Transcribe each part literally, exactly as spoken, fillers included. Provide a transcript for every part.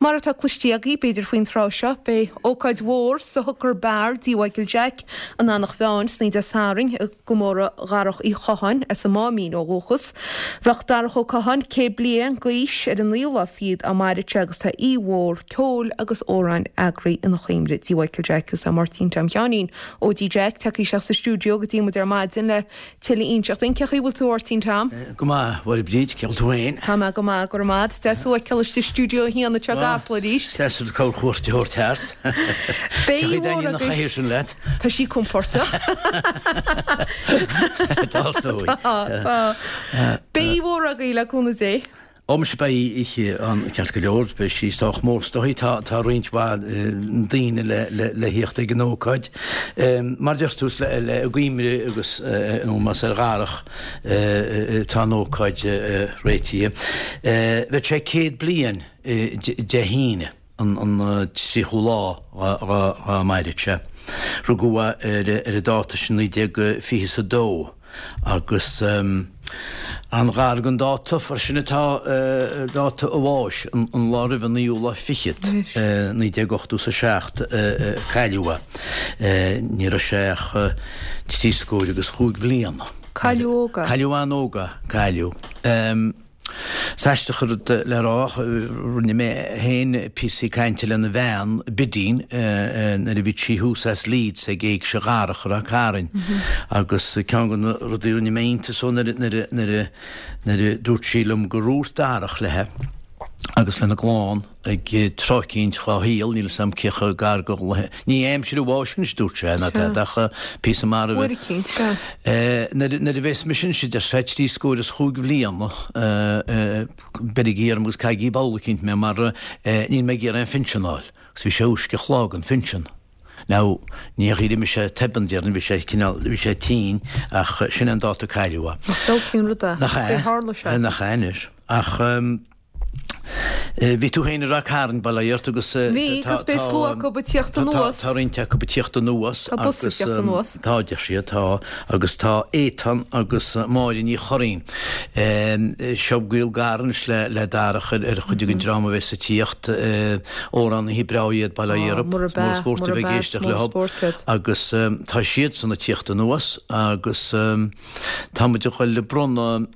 Mar atá cloiste agaibh, b'fhéidir faoin tráth seo, beidh ócáid mhór sa Hooker Bar dtí Mhichael Jack an Eanach Mheáin san Dé Sathairn i gcomóradh Dharach Uí Chatháin as an Máimín ó dhúchas. Bheadh Darach Ó Catháin céad bliain d'aois ar an naoú lá fichead dá mairfeadh sé agus tá oíche mhór ceoil agus amhráin eagraithe ina chuimhne dtí Mhichael Jack agus tá Máirtín Tom Sheáinín ó dtí Jack tagtha isteach sa stiúideo go dtí muid ar maidin le tuilleadh a inseacht dúinn. Cén chaoi a bhfuil tú a Mháirtín Tom? Go maith, a Mháire Bríd, cén chaoi a bhfuil tú féin? Tá mé go maith, go raibh maith. Deas thú a fheiceáil istigh sa stiúideo a haon anseo i gCasla arís. Deas duit corrchuairt a thabhairt thart. Beidh Cén chaoi a dtaitníonn an chathaoir sin leat? Tá sí compordach. Tá, is dóigh. Tá, tá. Beidh oíche mhór agaibh le cúnamh Dé. Ó muise beidh oíche ann ceart go leor, beidh sí sách mór is dóigh, tá tá roinnt mhaith daoine le le le thíocht ag an ócáid. Mar deir tú is le le i gcuimhne agus in ómós ar Dharach atá an ócáid réitithe. Bheadh sé céad bliain Dé hAoine an an tríochú lá dá mairfeadh sé. Rugadh é ar ar an dáta sin naoi déag fiche is a dó. Agus an-ghar don dáta freisin atá dáta a bháis, an lá roimh an naoú lá fichead, naoi déag ochtó is a seacht a cailleadh é. Ní raibh sé ach trí scór agus chúig bhliana. Cailleadh óg é. Cailleadh an-óg é, cailleadh. Is aisteach an rud le rá ach rinne mé féin píosaí cainte lena bhean, Bidín, nuair a bhí sí thuas as Leeds ag Éigse Dharach i Ráth Cairn agus ceann de na rudaí a rinne mé iontas dó nuair a nuair a dúirt sí liom gur dhúirt Darach léi agus lena gclann ag tráth eicínt dhá shaol, níl 'fhios a'm cé chomh gar go, ní aimsir a bháis anois dúirt sé, ná tada ach píosa maith roimhe. Uair eicínt, sea. Nuair nuair a bheas mise anois, a deir sé, trí scór is chúig bhliana, beirigí orm agus caithigí ball eicínt mé mar níl mé ag iarraidh aon phinsean a fháil. Agus bhí sé uisce a chlog an phinsean. Now, ní hé gur imigh sé tobann, déarfainn, bhí sé cineál, bhí sé tinn ach sin é an dáta a cailleadh é. Nach diabhaltaí an rud é? Nach ea? Cé tharla sé? Nach ea anois. Ach. Bhí tú féin i Ráth Cairn, bail ó Dhia ort, agus Bhí, agus beidh slua acu ag tíocht anuas. Tá roinnt acu ag tíocht anuas. Tá bus ag tíocht anuas. Tá, deir siad, tá. Agus tá Étan agus Máire Ní Churraoin. Seo gaol gar anois le Darach ar chuid den dream a bheas ag tíocht. Amhránaithe breá iad, bail ó Dhia orthu. Murab Is mór ea, spórt a murab bheith ag ea, is éisteacht mór leo. spórt iad. Agus tá siadsan ag tíocht anuas agus. Tá muid ag goil ag bronnadh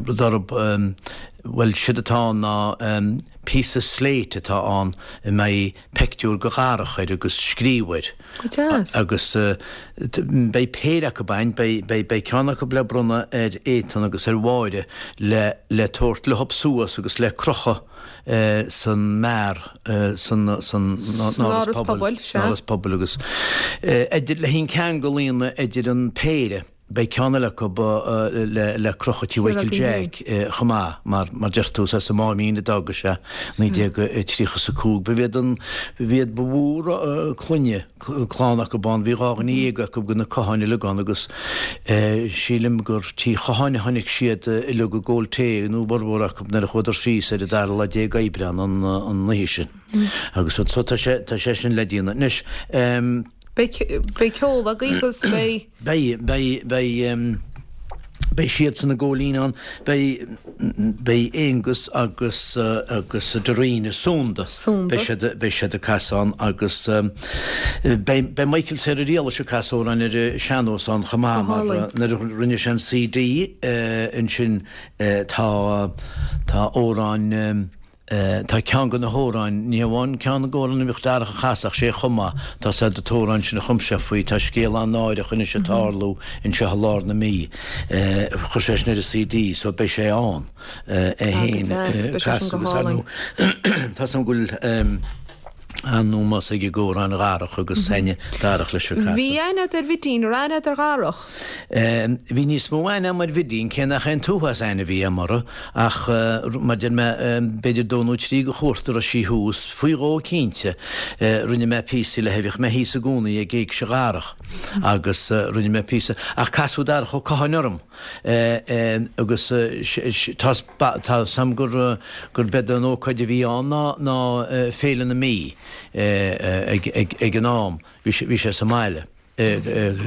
rud orthu, bhuel, séard atá ann ná píosa slate atá ann a mbeidh peictiúr de Dharach air agus scríobh air. Go deas. Agus beidh péire acu ann, beidh ceann acu le bronnadh ar Étan agus ar Mháire le le tabhairt leo suas agus le crochadh san mbeár, san Áras Pobail, san Áras Pobail agus idir le haghaidh an ceangal a dhéanamh idir an péire, beidh ceann eile acu le crochadh tí Mhichael Jack chomh maith, mar mar deir tú, is as an Máimín a d'fhága sé naoi déag tríocha is a cúig. Ba iad an, ba iad ba mhór clainne. clann acu ann, bhí dhá dhuine dhéag acu de na Catháin uilig ann agus sílim gur tí Chatháin a tháinig siad uilig ag ól tae nó formhór acu nuair a chuadar síos ar an dara lá déag Aibreán an an oíche sin. Agus so tá sé tá sé sin le déanamh. Anois. Beidh beidh ceol agaibh agus beidh. Beidh beidh beidh. Beidh siadsan ag gabháil fhoinn ann. Beidh, beidh Aonghus agus, agus Darina, Súnda. Súnda. Beidh siad, beidh siad ag casadh ann agus beidh, beidh Michael Sarah Riallais ag casadh amhráin ar an sean-nós ann chomh maith Go mar hálainn. nuair a rinne sé an CD ansin tá, tá amhráin, Tá ceann de na hamhráin, ní hamháin ceann de na hamhráin a bhíodh Darach a chasadh, ach sé chomh maith, tá sé an t-amhrán sin a chum sé faoi, tá scéal an-náireach anois ag tarlú anseo i lár na Mí. Chuir sé sin ar an CD so beidh sé ann é féin ag casadh agus ar ndóigh tá 's agam go bhfuil an-ómós aige d'amhráin Dharach agus aithne Darach leis ag casadh. Bhí aithne agat ar Bhidín, an raibh aithne agat ar Dharach? Bhí níos mó aithne agam ar Bhidín, cé nach é an t-uafás aithne a bhí agam uirthi, ach mar deir mé, b'fhéidir dó nó trí de chuairt a raibh sí thuas, faoi dhó cinnte, rinne mé píosaí léi, bhíodh mé thíos i gcónaí ag Éigse Dharach agus rinne mé píosa, ach casadh Darach Ó Catháin orm agus tá 's agam gur gurb é an ócáid a bhí ann ná ná Féile na Mí ag an am, bhí sé sa mbaile.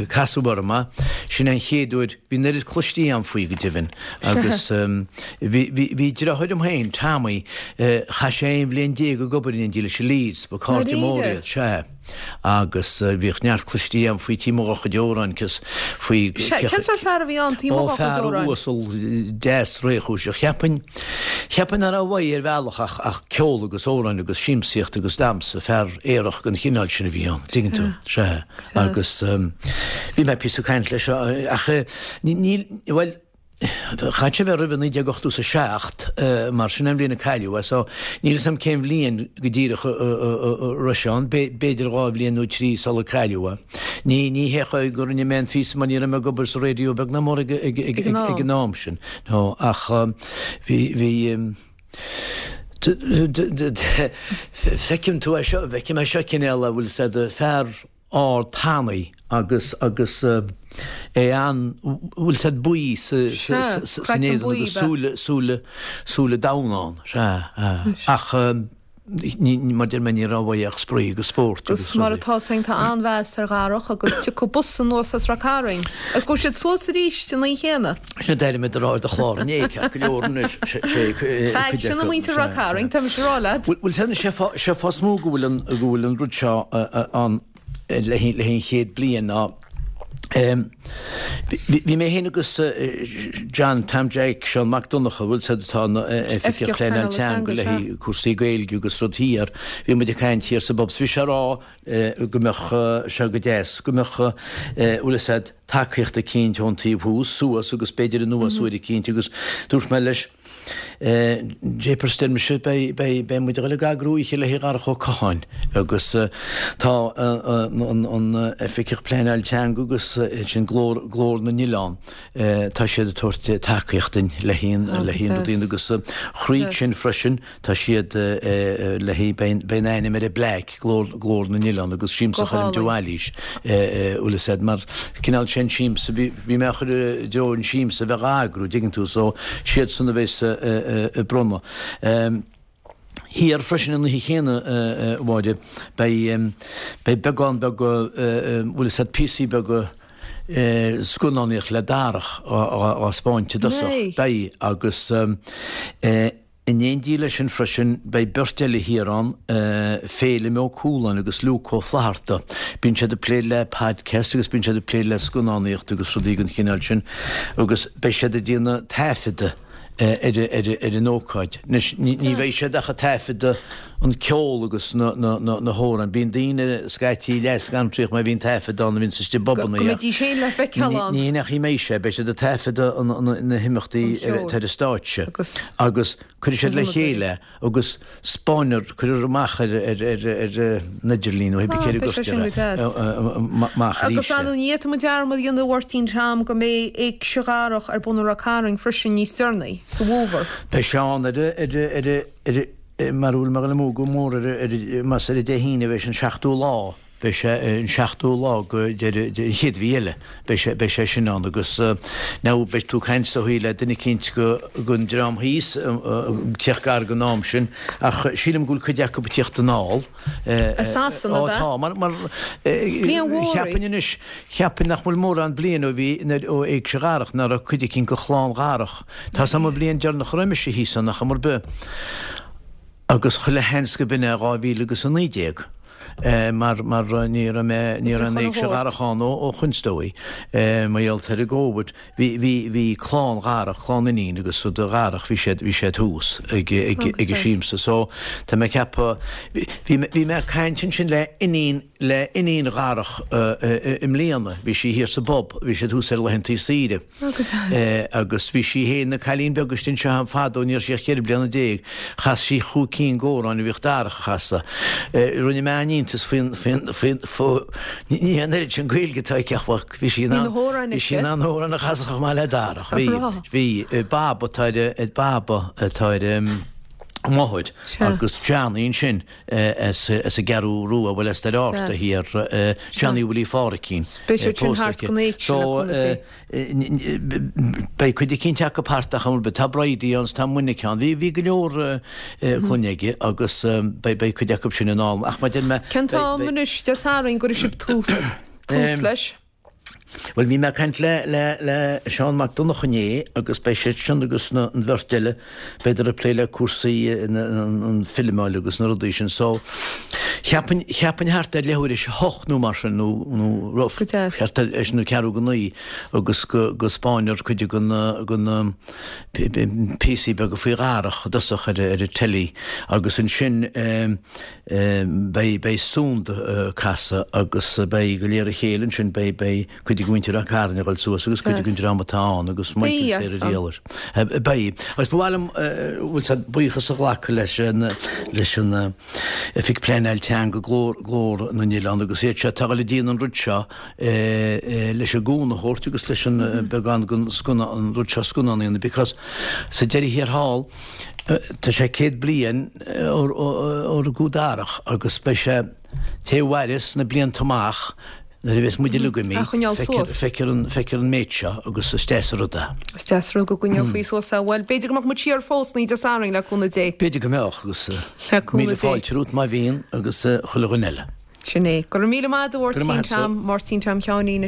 Casadh orm é, sin an chéad uair, bhí an oiread cloistí agam faoi go deimhin agus bhí bhí deartháir liom féin, Tommy, chaith sé aon bhliain déag ag obair in éindí leis i Leeds, ba cairde móra iad, sea. Agus bhíodh neart cloistí agam faoi Tí Mo Dhá Chuid Amhráin cos faoi Cén sórt fear a bhí ann, Tí Mo Ó Dhá Chuid fear Amhráin? uasal deas réchúiseach. Cheapfainn, cheapfainn nach raibh uaidh ar bhealach ach ach ceol agus amhráin agus siamsaíocht agus damhsa, fear aerach den chineál sin a bhí ann, tuigeann tú. Sea. Agus bhí mé píosa ag caint leis ach níl, bhuel, chaith sé bheith roimhe naoi déag ochtó is a seacht mar sin an bhliain a cailleadh é so níl 'fhios a'm cén bhliain go díreach a raibh sé ann, b'fhéidir dhá bhliain nó trí sular cailleadh é. Ní ní hé go rinne mé an phíosa mar ní raibh mé ag obair sa raidió beag ná mór ag ag ag ag an am sin no ach bhí bhí Feicim tú é seo, feicim é seo cinéal a bhfuil said fear ard tanaí agus agus é an bhfuil said buí sa san éadan agus súile súile súile donn ann, sea, ach ní mar deir mé ní raibh uaidh ach spraoi agus spórt agus Agus mar atá féin tá an-mheas ar Dharach agus tiocfaidh bus anuas as Ráth Cairn agus gabhfaidh siad suas arís an oíche chéanna. Sin a d'airigh mé do rá ar do chlár inné, ceart go leor anois, sé cuid Faic, sin acu, muintir Ráth sea, Cairn, sea. tá mise ag rá leat. Bhfuil bhfuil sé sé fáth is mó go bhfuil an go bhfuil an rud seo ann le haghaidh an chéad bliain ná bhí mé féin agus John Tom Jeaic, Seán Mac Donncha, bhfuil 'fhios a'd atá ina Oifigeach Pleanáil Teanga le haghaidh cúrsaí Gaeilge agus rud thiar, bhí muid ag caint thiar sa bpub 's bhí sé ag rá go mbeadh sé go deas go mbeadh bhfuil 'fhios a'd tacaíocht eicínt ón taobh thuas suas agus b'fhéidir anuas uair eicínt agus dúirt mé leis Jeepers, deir mise, beidh, beidh, beidh muid ag dul ag eagrú oíche le haghaidh Dharach Ó Catháin agus tá an, an Oifigeach Pleanáil Teanga agus sin Glór, Glór na nOileán, tá siad ag tabhairt tacaíocht duinn le haghaidh an, le haghaidh an rudaí agus thríd sin freisin tá siad le haghaidh, beidh, beidh an ainm ar an bplaic, Glór, Glór na nOileán agus Siamsa Go Choilm de hálainn. Bhailís, bhfuil 'fhios a'd, mar cineál sin siamsa, bhí, bhí mé á chur i dtreo an siamsa a bheith á eagrú, dtuigeann tú, so siadsan a bheas ag bronnadh. Thiar freisin an oíche chéanna, a Mháire, beidh, beidh beagán beag, bhfuil 'fhios a'd, píosaí beaga scannánaíocht le Darach á 'spáint i dtosach. Beidh, agus In éindí leis sin freisin, beidh beirt eile thiar ann, Féilim Ó Cualáin agus Luke Ó Flatharta. Bíonn siad ag plé le podcast agus bíonn siad ag plé le scannánaíocht agus rudaí den chineál sin agus beidh siad ag déanamh taifeadadh ar an ócáid. Anois, ní bheidh siad ach ag taifeadadh an ceol agus na hamhráin. Bíonn daoine scaití leath-scantraíoch má bhíonn taifead ann a bhíonns istigh i Go bpubanna. mbeidís féin le feiceáil ann. Ní nach mbeidh sé, beidh siad ag taifeadadh na himeachtaí atá ar an stáitse agus cuirfidh siad le chéile agus 'spáinfear, cuirfear amach ar an idirlíon nó pé céard a Beidh sé sin go gcuirtear deas. amach arís Agus é. ar ndóigh ní fhéadfaidh muid dearmad a dhéanamh a Mháirtín Tom go mbeidh Éigse Dharach ar bun i Ráth Cairn freisin níos deireanaí sa bhfómhar. Beidh sé ann ar ar mar a bhfuil mé ag dul amú go mór ar más ar an Dé hAoine a bheidh sé an seachtú lá, beidh sé an seachtú lá go deireadh an chéad mhí eile, beidh sé, beidh sé sin ann agus now beidh tú ag caint is dóigh le duine eicínt go, gon dream thíos ag tíocht gar don am sin ach sílim go bhfuil cuid acu ag tíocht anall. As Sasana, Ó ab ea? tá, mar, mar Bliain mhór í. cheapfainn anois, cheapfainn nach bhfuil mórán bliain ó bhí, ó Éigse Dharach, nach raibh cuid eicínt go chlann Dharach. Tá 's a'm an bhliain deireanach a raibh mise thíos ann, ach am ar bith. Agus chuile sheans go b'in é dhá mhíle agus a naoi déag mar mar ní raibh mé, ní raibh an Éigse Dharach ann ó ó shoin is dóigh mar gheall ar an gCóvid. Bhí bhí bhí clann Dharach, clann iníon agus rud Dharach, bhí siad bhí siad thuas ag ag ag an siamsa. So tá mé ag ceapadh, bhí bhí mé ag caint ansin le iníon le iníon Dharach i mbliana, bhí sí thiar sa bpub, bhí siad thuas ar laethantaí saoire. Agus bhí sí féin ina cailín beag istigh anseo am fadó, ní raibh sí ach ceithre bliana déag, chas sí chúig cinn d'amhráin a bhíodh Darach a chasadh. Rinne mé an-iontas faoin, faoin, faoin, fó, ní an oiread sin Gaeilge atá aici ach bhí sí in ann, bhí sí in ann na hamhráin a chasadh chomh maith le Darach. Bhí, bhí, Baba atá ar, Baba atá ar a máthair agus Johnny ansin as an gCeathrú Rua, bhuel as Doire Fhatharta thiar, Johnny Willie Pháricín, pósta aici. So beidh cuid eicínt acu thart ach am ar bith. Tá Bridie ann 's tá Monica ann. Bhí go leor clainne aige agus beidh cuid acu sin anall. Ach mar a deir mé. Cén t-am anois Dé Sathairn go gcuirfidh sibh tús? tús leis? Bhuel, bhí mé ag caint le le le Seán Mac Donncha inné agus beidh siad sin agus na an bheirt eile b'fhéidir ag plé le cúrsaí na an filmeáil agus na rudaí sin so cheapfainn cheapfainn thart ar leathuair théis a hocht nó mar sin nó nó rough Go deas. thart ar é sin nó ceathrú go naoi agus go go spáinfear cuid de na de na píosaí beaga faoi Dharach i dtosach ar ar an teilí agus ansin beidh beidh Sunda ag casadh agus beidh go léir a chéile ansin beidh beidh cuid de mhuintir Ráth Cairn ag dul suas agus cuid de an dream atá ann agus Michael Beidh Sarah Dialer. Beidh. Agus ba mhaith liom bhfuil sé buíochas a ghlacadh leis an leis an Oifig Pleanáil Teanga Glór Glór na nOileán agus iad seo atá ag dul ag déanamh an rud seo leis an gcúnamh a thabhairt agus leis an beagán den scannán an rud seo scannán a dhéanamh because sa deireadh thiar thall tá sé céad bliain ó rugadh Darach agus beidh sé té a mhaireas na blianta amach nuair a bheas muid uilig imithe A choinneáil feicfear suas. feicfear an feicfear an méid seo agus is deas an rud é. Is deas rud go gcoinneofaí suas é. Bhuel, b'fhéidir go mbeadh muid siar fós an Dé Sathairn le cúnamh Dé. B'fhéidir go mbeadh agus Le cúnamh míle Dé. fáilte romhat má bhíonn agus chuile dhuine eile. Sin é. Go raibh míle maith agat Go raibh Mháirtín maith agat. Tom, Máirtín Tom Sheáinín.